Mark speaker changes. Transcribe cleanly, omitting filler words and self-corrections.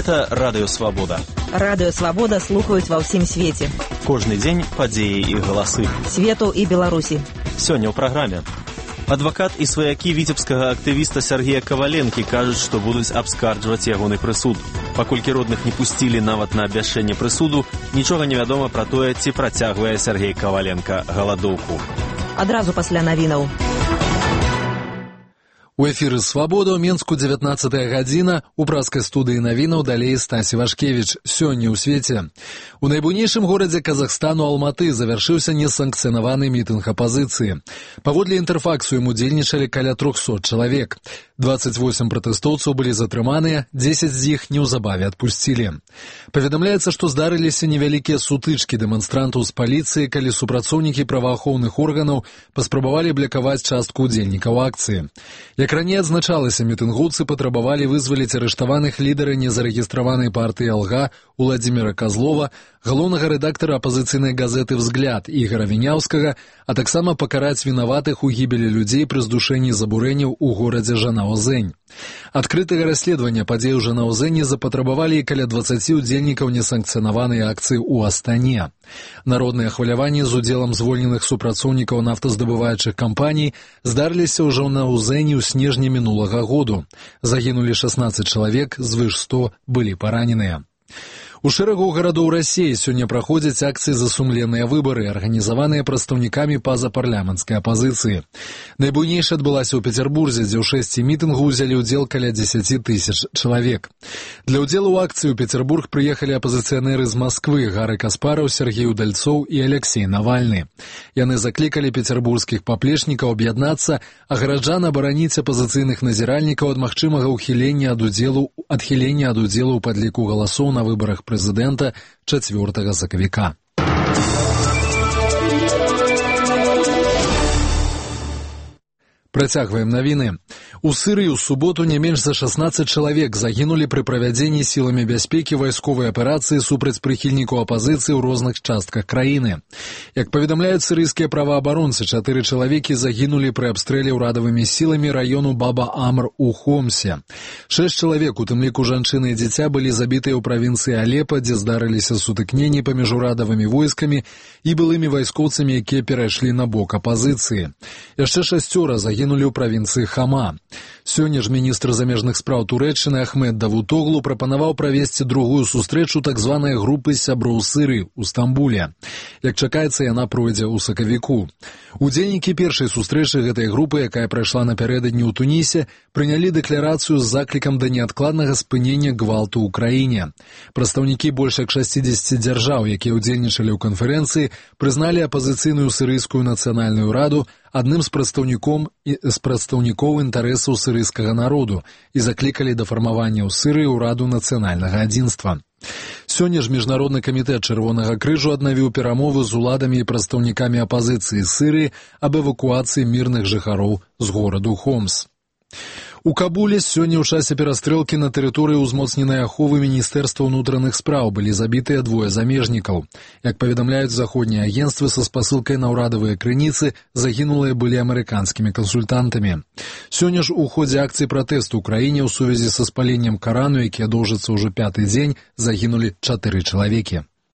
Speaker 1: Гэта Радыё Свабода.
Speaker 2: Радыё Свабода слухаюць ва ўсім свеце.
Speaker 1: Кожны дзень падзеі і галасы.
Speaker 2: Свету і Беларусі.
Speaker 1: Сёння ў праграме. Адвакат і сваякі віцебскага актывіста Сергея Каваленкі кажуць, што будуць абскарджваць ягоны прысуд. Паколькі родных не пусцілі нават на абвяшчэнне прысуду, нічога не вядома пра тое, ці працягвае Сергей Каваленка галадоўку.
Speaker 2: Адразу пасля навінаў.
Speaker 3: У эфіры «Свабода» ў Менску 19 гадзіна. У праскай студыі навінаў далей Стасі Вашкевіч. Сёння ў свеце. У найбуйнейшым горадзе Казахстану Алматы завяршыўся несанкцыянаваны мітынг апазіцыі. Паводле інтэрфаксу ім удзельнічалі каля 300 чалавек. 28 пратэстоўцаў былі затрыманыя, 10 з іх неўзабаве адпусцілі. Паведамляецца, што здарыліся невялікія сутычкі дэманстрантаў з паліцыі, калі супрацоўнікі праваахоўных органаў паспрабавалі блакаваць частку удзельнікаў акцыі. Як раней адзначалася, мітынгоўцы патрабавалі вызваліць арыштаваных лідара незарэгістраванай партыі «Алга» Уладзіміра Казлова, галоўнага рэдактара апазіцыйнай газеты «Взгляд» Ігора Віняўскага, а таксама пакараць вінаватых у гібелі людзей пры здушэнні забурэнняў у горадзе Жанаозень. Адкрытага расследавання падзей у Жанаозені запатрабавалі і каля 20 удзельнікаў несанкцыянаванай акцыі ў Астане. Народныя хваляванні з удзелам звольненых супрацоўнікаў нафтаздабываючых кампаній здарыліся ў Жанаозені ў снежні мінулага году. Загінулі 16 чалавек, звыш 100 былі параненыя. У шэрагу гарадоў Расіі сёння праходзяць акцыі за сумленныя выбары, арганізаваныя прадстаўнікамі пазапарламенцкай апазіцыі. Найбуйнейшая адбылася ў Петербурзе, дзе ў 6 мітынгу ўзялі ўдзел каля 10 тысяч чалавек. Для ўдзелу ў акцыі ў Петербург прыехалі апазіцыянеры з Масквы Гары Каспараў, Сергей Удальцоў і Алексей Навальны. Яны заклікалі петербургскіх паплечнікаў аб'яднацца, а гараджан абараніць апазіцыйных назіральнікаў ад магчымага адхілення ад удзелу ў падліку галасоў на выбарах прэзідэнта 4 сакавіка. Працягваем навіны. У Сырыі ў суботу не менш за 16 чалавек загінулі пры правядзенні сіламі бяспекі вайсковай аперацыі супраць прыхільнікаў апазіцыі ў розных частках краіны. Як паведамляюць сырыйскія праваабаронцы, 4 чалавекі загінулі пры абстрэле ўрадавымі сіламі раёну Баба-Амр у Хомсе. 6 чалавек, у тым ліку жанчыны і дзіця, былі забітыя ў правінцыі Алепа, дзе здарыліся сутыкненні паміж урадавымі войскамі і былымі вайскоўцамі, якія перайшлі на бок апазіцыі. Яшчэ 6 загінулі ў правінцыі Хама. Сёння ж міністр замежных спраў Турэччыны Ахмед Давутоглу прапанаваў правесці другую сустрэчу так званай групы сяброў Сырыі ў Стамбуле. Як чакаецца, яна пройдзе ў сакавіку. Удзельнікі першай сустрэчы гэтай групы, якая прайшла напярэдадні ў Тунісе, прынялі дэкларацыю з заклікам да неадкладнага спынення гвалту ў краіне. Прадстаўнікі больш як 60 дзяржаў, якія ўдзельнічалі ў канферэнцыі, прызналі апазіцыйную сірыйскую нацыянальную раду адным з прадстаўнікоў інтарэсаў сырыйскага народу і заклікалі да фармавання ў Сырыі ўраду нацыянальнага адзінства. Сёння ж Міжнародны камітэт Чырвонага крыжу аднавіў перамовы з уладамі і прадстаўнікамі апазіцыі Сырыі аб эвакуацыі мірных жыхароў з гораду Хомс. У Кабуле сёння ў часе перастрэлкі на тэрыторыі ўзмоцненай аховы Міністэрства ўнутраных спраў былі забітыя 2 замежнікаў. Як паведамляюць заходнія агенцтвы, са спасылкай на ўрадавыя крыніцы загінулыя былі амерыканскімі кансультантамі. Сёння ж у ходзе акцыі пратэсту ў краіне ў сувязі са спаленнем Карану, якія доўжыцца ўжо 5-й дзень, загінулі 4 чалавекі.